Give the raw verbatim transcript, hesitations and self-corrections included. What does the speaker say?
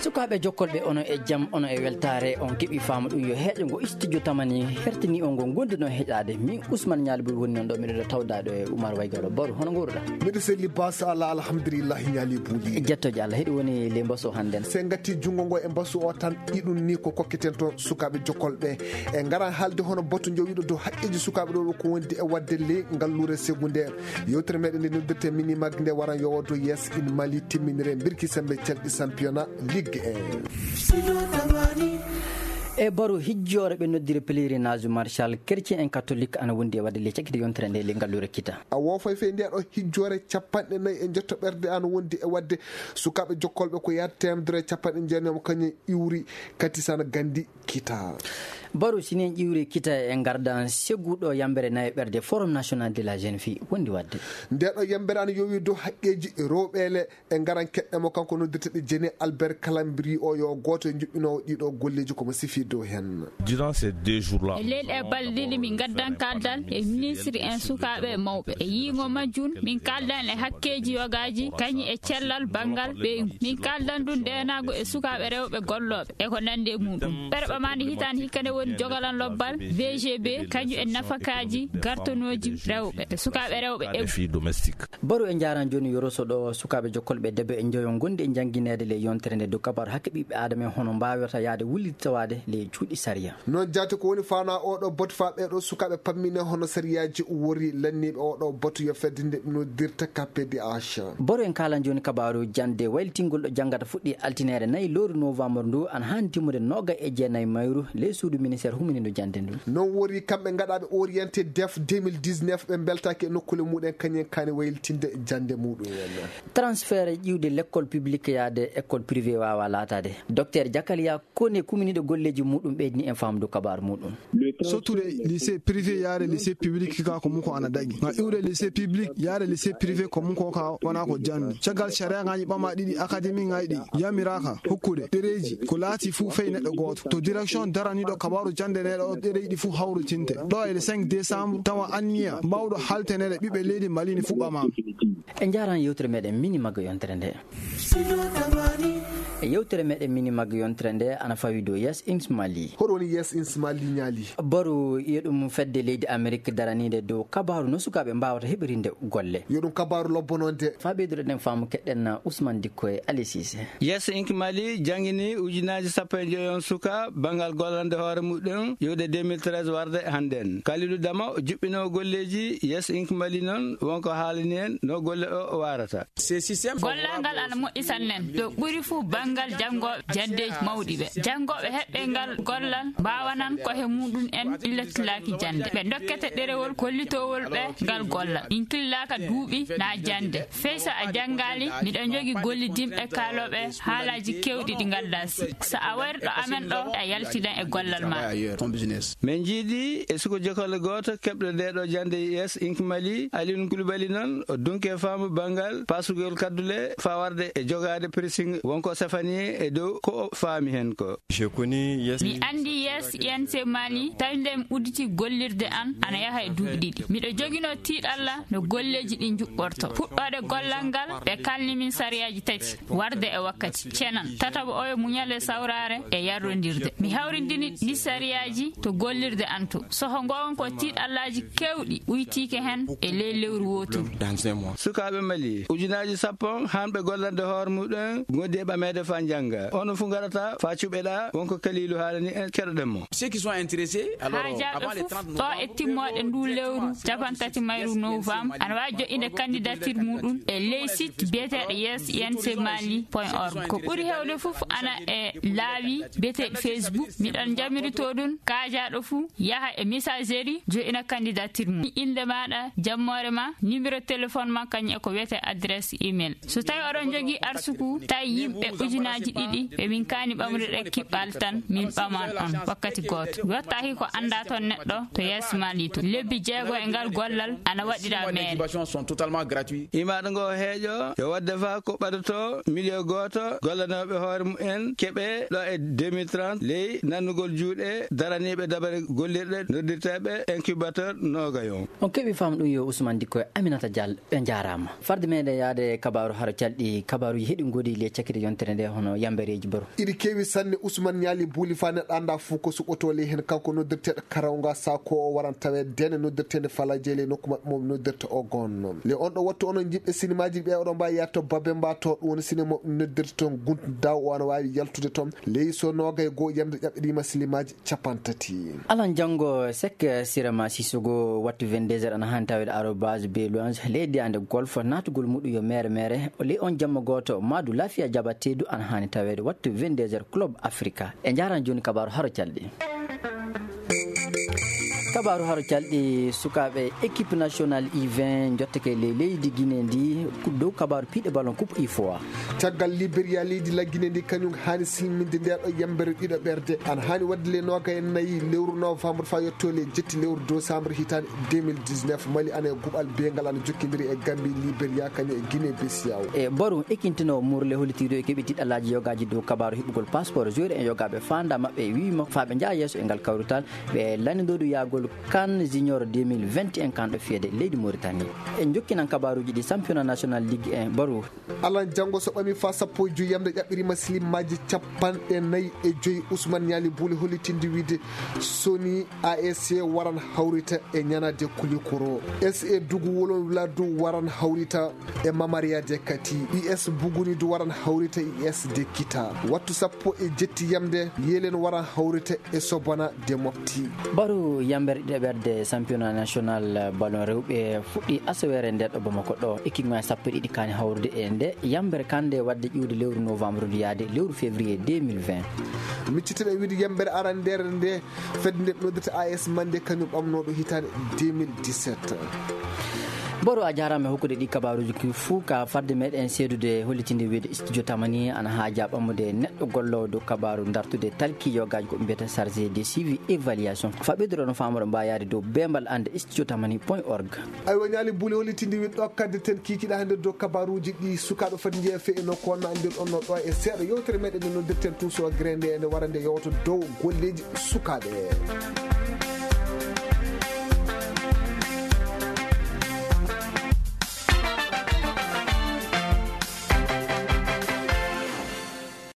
Sukaaɓe jokkolɓe, ono e jam, ono e weltaare, on keɓi faamu ɗum yo heeƴo ngo studio tamani hertini on ngo gonduno heƴaade. Min Ousmane Ñaali Bouy woni noon ɗo, miɗo tawdaɗo e Oumar Waygaro. Baro, hono nguurɗa? Miɗo selli bas Allah, alhamdulillahi Ñaali Bouy. Jettoje Allah, heɗi woni le mbaso hannden. Se ngati junngo ngo e mbasu o tan, iɗum ni ko kokkiten toon sukaaɓe jokkolɓe. E ngaran haalde hono batu jowiɗo dow haqqeeji sukaaɓe ɗo ko wondi e waɗde le ngalluure secondaire. Yewtere meɗen nde noddirte Minimag nde waran yowoto Yes in Mali timminire mbirki sembe calɗi championnat Ligue un. E Baro, hijjoore ɓe noddiri pèlerinage Martial, chrétien en catholique ana wondi e waɗde le cakkite yontere nde le ngalluure kita. A woofay fey nde ɗo hijjoore capanɗe nayi e njetto ɓerde ana wondi e waɗde sukaaɓe jokkolɓe ko yaade temedere capanɗe jeenayi mo kañum iwri katisana gandi kita. Baro, sinen iwri kita e ngardan seguɗo yambere nayi ɓerde Forum National de la Jeune Fille wondi waɗde. Nde ɗo yambere ana yowi dow haqqeeji rewɓe le e ngaran keɗɗe mo kanko noddirteɗo Jene Albert Calambri o yo gooto e njuɓɓinoowo ɗiɗo golleeji ko mo sifi dow hen. Durant ces deux jours-là, e leyɗe e balɗe ɗiɗi min ngaddan kaldal e ministre en sukaaɓe e mawɓe. E yiingo majjum min kaldan e hakkeeji yogaaji kañi e cellal banngal ɓeyngu. Min kaldan ɗum ndeenaagu e sukaaɓe rewɓe gollooɓe e ko nanndi e muɗum. Ɓerɓe ma nde hitaande hikka nde woni jogalan lobbal V G B kañum e nafakaaji gartonooji rewɓe e sukaaɓe rewɓe e filles domestiques. Baro, en njaaran jooni yoroso ɗo sukaaɓe jokkolɓe debbo e njoyo ngondi e janngineede le yontere nde dow kabaaru hakke ɓiɓɓe aadama en hono mbaawirta yaade wullitawaade le cuuɗi sariya. Noon jaati ko woni faana oɗo batu faa ɓeeɗo sukaaɓe pammine hono sariyaaji wori lanniiɓe oɗo batu yo fedde nde noddirta K P D H. Baro, en kaalan jooni kabaaru jannde waylitingol ɗo janngata fuɗɗi altineere nayi lewru novembre ndu ana haani timmude noogay e jeenayi mayru le suudu ministère huminindo jannde ndu. Noon wori kamɓe ngaɗaaɓe orienté def deux mille dix-neuf ɓe mbeltaaki e nokkuule muɗen kañen kaani waylitinde jannde muɗum en. Transfert ƴiwde l'école publique yaade école privée waawa laataade. Docteur Jakaliya Kone kuminiiɗo golleeji muɗum ɓeydini en faamdu kabaaru muɗum. Sottude lycée privé yaade lycée public ka ko muko ana daƴi. Nga iwde lycée public yaade lycée privé ko muko ka wona ko jannde. Caggal sharia ngaji ɓama ɗiɗi académie ngaji ɗi yamiraaka hokkude ɗereeji ko laati fuu fey neɗɗo gooto. To direction daraniiɗo kabaaru jannde neɗɗo o ɗereeji ɗi fuu hawritinte. Ɗo e le cinq décembre tawa anniya mbawɗo halteneede ɓiɓɓe leydi Mali ni fuu ɓama. En njaaran yewtere meɗen Minimag yontere nde. E yewtere meɗen Minimag yontere nde ana fawi dow Yes in Mali. Hoɗo woni Yes in Mali Ñaali? Baro, yo ɗum fedde leydi Amerik daraniinde dow kabaaru no sukaaɓe mbaawata heɓirinde golle. Yo ɗum kabaaru lobbononde. Faa ɓeydude ɗen faamu keɗɗen Ousmane Dikko e Ali Cissé. Yes in Mali janngini ujunaaji sappo e joyon suka banngal gollande hoore muɗum iwde deux mille treize warde hannden. Kalidou Dama juɓɓinoowo golleeji Yes in Mali noon wonko haalani en no golle o waarata. Gollal ngal ana moƴƴi sanne. Ɗo ɓuri fuu banngal janngooɓe janndeeji mawɗi ɓe. Janngooɓe heɓɓe ngal gollal mbaawanan ko he muɗum en illatlaaki jannde. Ɓe dokkete ɗerewol kollitowol ɓe ngal gollal. Min killaaka duuɓi na jannde. Fey so a janngaali, miɗo jogii gollidinɓe kaalooɓe haalaaji keewɗi ɗi ngaldaa si. So a wari ɗo amen ɗo, a yaltidan e gollal ma. Min njiidi e suko jokolle gooto keɓɗo nde ɗo jannde Yes in Mali, Alioune Koulibaly noon, o dunke faamu banngal pasugol kaddule faa warde e jogaade pressing wonko safani e dow ko o faami heen ko. Mi anndi Yes in Mali, tawi nde mi udditi gollirde an, ana yaha e duuɓi ɗiɗi. Miɗo joginoo tiiɗalla no golleeji ɗi njuɓɓorto. Puɗɗoode gollal ngal, ɓe kalni min sariyaaji tati. Warde e wakkati, cenan, tataɓo oyo muñal e sawraare e yarrondirde. Mi hawrindini ɗi sariyaaji to gollirde an to. Soho ngoon ko tiiɗallaaji keewɗi uytiike heen e ley lewru wooturu. Sukaaɓe Mali, ujunaaji sappo hanɓe gollande hoore muɗum ngondi e ɓameede faa njannga. Ono fuu ngarata faa cuɓeɗaa wonko Kaliilu haalani en keɗoɗen mo. Haajaaɓe fof ɗo e timmooɗe ndu lewru capantati mayru novembre ana waawi joƴƴinde candidature muɗum e ley site biyeteeɗo yes in mali point org. Ko ɓuri heewde fof ana e laawi biyeteeɗi Facebook. Miɗon jamiritoo ɗum kaajaaɗo fof yaha e messagerie joƴƴina candidature mum. Innde maaɗa, jammoore ma, numéro téléphone ma, kañum e ko wiyetee adresse email. So tawi oɗon jogii arsuku tawi yimɓe ujunaaji ɗiɗi ɓe min kaani ɓamrude ɗe kiɓɓal tan min ɓaman on wakkati gooto. Yottaaki ko anndaa toon neɗɗo to yeeso Mali to. Lebbi jeego e ngal gollal ana waɗiraa meere. Imaaɗo ngo heeƴo yo waɗde faa ko ɓadotoo miliyo gooto gollanooɓe hoore mumen keɓee ɗo e deux mille trente ley nannugol juuɗe daraniiɓe dabare gollirɗe noddirteeɓe incubateur noogayon. On keɓii faamu ɗum yo Ousmane Dikko e Aminata Diallo, ɓe njaaraama. Farde meɗen yaade kabaaru haro calɗi, kabaaruuji heɗi ngoodi le cakkite yontere nde. E hono yambereeji baro. Iɗi keewi sanne. Usman Ñaali Buuli faa neɗɗo anndaa fuu ko suɓotoo ley heen. Kanko noddirteeɗo Karawga Saako o waran taweede deene noddirteende Falaaje ley nokku maɓɓe mo ɓe noddirta o goonno. Ley on ɗo wattu onon jiɓɓe sinimaaji ɓe oɗon mbaawi yaade to Babemba to ɗum woni sine mo ɓe noddirta toon Guntu Daw o ana waawi yaltude toon. Ley so noogay goo yamde ƴaɓɓiriima silimaaji capantati. Alan janngo sek sirama sisogo wattu vingt-deux heures ana haani taweede arobase be louange leydi ande golf naatugol muɗum yo mere mere o ley on jamma gooto maadu lafiya jabateedu ana haani taweede wattu vingt-deux heures club africa. E njaran jooni kabaaru haro calɗi. Kabaaru haro calɗi sukaaɓe équipe nationale u vingt njottake ley leydi guinée ndi. Dow kabaaru piiɗe ballon coupe ifoa. Caggal Liberia leydi laggine ndi kañum haani silminde nde ɗo yambere ɗiɗo ɓerde ana haani waɗde le nooga e nayi lewru novembre faa yetto le jetti lewru décembre hitaande deux mille dix-neuf. Mali ana e guɓal beengal ana jokkindiri e Gambie, Liberia kañum e Guinée Bissau. E baru ekintino murle hollitiiɗo e keɓe tiɗɗalaaji yogaaji dow kabaaru heɓugol passeport joueur en yogaaɓe faanda maɓɓe wiima faa ɓe njaha yeeso e ngal kawrital ɓe lanndindodu yahgol kan junior deux mille vingt et un kanɗo fiyede leydi Mauritanie. En jokkinan kabaaruuji ɗi championnat national ligue en baru. Alan janngo so ɓami faa sappo e joyi yamde ƴaɓɓiriima silimaaji capanɗe nayi e joyi. Usman Ñaali Buuli hollitinde wiide soni A S C waran hawrita e ñanade Kulikoro. S A Dugu Wolon Wuladu waran hawrita e Mamariya de Kati. U S Buguni du waran hawrita U S de Kita. Wattu sappo e jetti yamde Yelen waran hawrita e Sobona de Mopti. Baru yambere ɗiɗaɓerde championnat national ballon rewɓe fuɗɗi asawere nder ɗo Bamako ɗo. Équipe ngaji sappo e ɗiɗi kaani hawrude e nde yambere kande wadde ƴiwde lewru novembre ndu yaade lewru février deux mille vingt. Miccitiɗen wiide yambere arandere nde fedde nde ɓe noddirta A S Mande kañum ɓamnoɗo hitaande deux mille dix-sept. Boro a jaaraama e hokkude ɗi kabaaruuji ki fuu ka fadde meɗen seedude hollitinde wiide studio tamani ana haaja ɓammude neɗɗo golloowo dow kabaaru dartude talki yogaaji ko ɓe mbiyata chargé de suivi évaluation. Fa ɓeyduɗo no faamoro mbaayaade dow bembal ande studio tamani point org. Aywa Ñaali Buuli hollitinde wiide ɗo kadde ten kiikiɗa hannde dow kabaaruuji ɗi sukaaɓe foti njeeya fee e nokku on no anndir on no ɗo e seeɗa yewtere meɗen nde noddirten tuuso grende ene wara nde yewto dow golleeji sukaaɓe.